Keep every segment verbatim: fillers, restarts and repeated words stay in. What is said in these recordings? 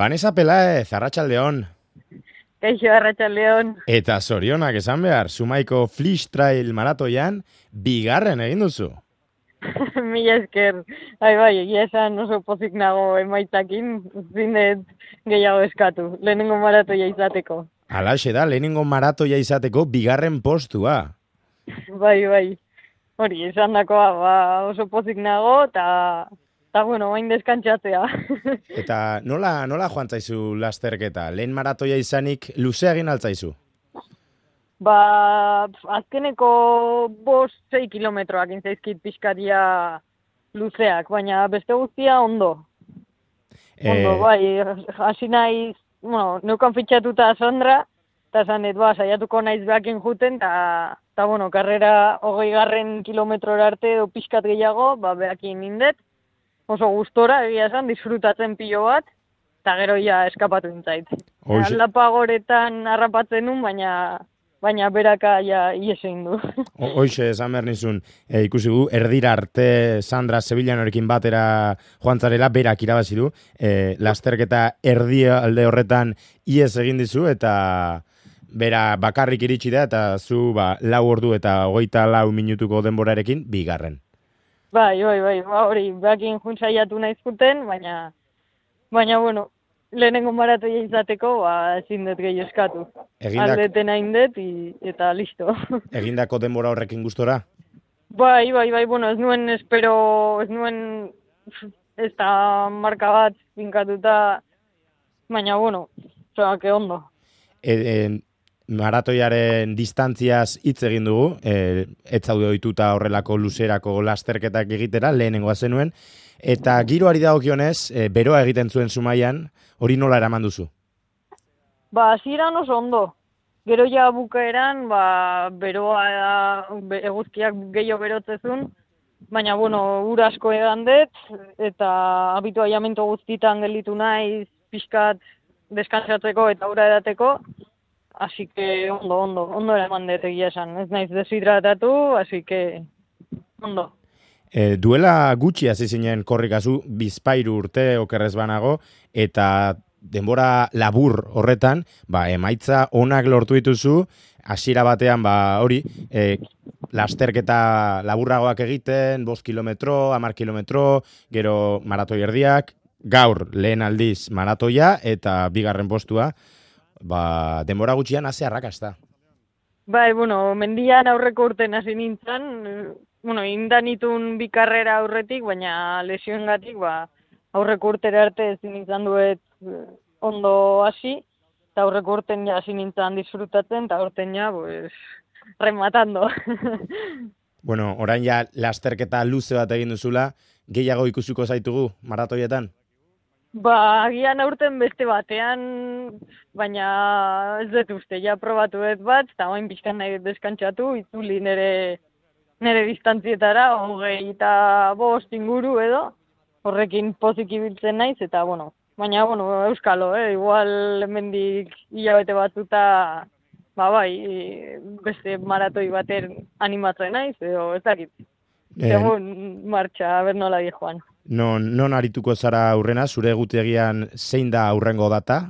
Vanessa Pelaez, arratsaldeon. Kaixo, arratsaldeon. Eta zorionak esan behar, Zumaiko Flix Trail maratoian bigarren egin duzu. Mila esker. Bai, bai, egia esan oso pozik nago emaitzakin, zinet gehiago eskatu, lehenengo maratoia izateko. Halaxe da, lehenengo maratoia izateko bigarren postua. Bai, bai. Hori, esan dakoa, ba, oso pozik nago, eta, eta bueno, hain deskantzatzea. Eta nola, nola joan zaizu lasterketa? Lehen maratoia izanik luzea egin altzaizu? Ba, azkeneko bost, sei kilometroak intzaizkit pixkaria luzeak, baina beste guztia ondo. Ondo, Eh, bai, hasi naiz, bueno, neukan fitxatuta Sandra, eta zanet, ba, saiatuko naiz behakin juten, eta, eta bueno, karrera hogei garren kilometrora arte edo pixkat gehiago, ba, behakin nindet, oso gustora, egia esan, disfrutatzen pilo bat, eta gero ja eskapatu nintzait. Hoxe- Aldapa goretan harrapatzen nun, baina, baina beraka ja ies egin du. ho- Hoxe, esan behar nizun, e, ikusi gu, erdira arte Sandra Sevillanorekin batera joan zarela, berak irabazi du, e, lasterketa erdia alde horretan ies egin dizu, eta bera bakarrik iritsi da, eta zu ba, lau ordu eta hogeita lau minutuko denborarekin bigarren. Bai, bai, bai, ba, hori, behakin juntzaiatu nahi zuten, baina, baina, bueno, lehenengo maratoia izateko, ba, ezin dut gehi eskatu. Egindak, Aldeten hain dut, i- eta listo. egindako denbora horrekin gustora? Bai, bai, bai, bueno, ez nuen espero, ez nuen, ez da marka bat finkatuta, baina, bueno, oza, que ondo. E, e, maratoiaren distantziaz hitz egin dugu, e, ez zaude ohituta horrelako luzerako lasterketak egitera, lehenengoa zenuen, eta giroari dagokionez, e, beroa egiten zuen Zumaian, hori nola eraman duzu? Ba, hasieran oso ondo. Gero ja bukaeran, ba, beroa, be, eguzkiak gehiago berotzezun, baina, bueno, ur asko edan dut, eta habituaiamento guztitan gelditu naiz, pixkat deskantsatzeko eta ura edateko, así que ondo, ondo, ondo eraman dut egia esan, ez naiz deshidratatu, así que ondo. E, duela gutxi hasi zinen korrikazu, bizpairu urte okerrez banago, eta denbora labur horretan, ba, emaitza onak lortu dituzu, hasiera batean, ba, hori, e, lasterketa laburragoak egiten, bost kilometro, hamar kilometro, gero maratoi erdiak, gaur lehen aldiz maratoia eta bigarren postua, ba, denbora gutxian hasi arrakasta. Bai, bueno, mendian aurreko urten hasi nintzen, eh, bueno, indan itun bi karrera aurretik, baina lesioengatik, ba, aurreko urtera arte ezin izan duet eh, ondo hasi, eta aurreko urten ja hasi nintzen disfrutatzen, eta urten ja, pues, rematando. Bueno, orain ja lasterketa luze bat egin duzula, gehiago ikusiko zaitugu maratoietan? Ba, agian aurten beste batean, baina ez dut uste, ja probatu dut bat, eta hain pixkan nahi dut deskantzatu, itzuli nere, nere distantzietara, hogei eta bost inguru edo, horrekin pozik ibiltzen naiz, eta bueno, baina, bueno, euskalo, eh? Igual hemendik hilabete batzuta, ba bai, beste maratoi baten animatzen naiz, edo ez dakit, Eh, segun martxa, ber nola di joan. non, non arituko zara aurrena, zure egutegian zein da aurrengo data?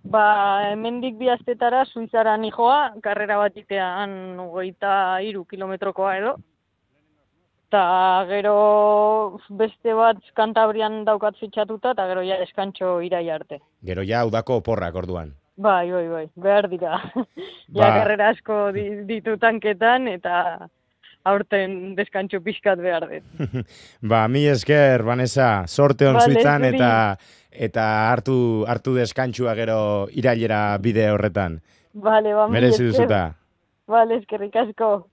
Ba, hemendik bi astetara Suizara nijoa, karrera bat itean hogeita hiru kilometrokoa edo. Ta gero beste bat Kantabrian daukat fitxatuta, eta gero ja eskantxo irai arte. Gero ja udako oporrak orduan. Bai, bai, bai, behar dira. Ba- Ja karrera asko di, ditu tanketan, eta aurten deskantxo pixkat behar dut. Ba, mi esker, Vanessa, sorte on Vale, Suitzan zuri. eta eta hartu hartu deskantxua gero irailera bide horretan. Vale, ba, mila Merezi esker. duzuta. Vale, eskerrik asko.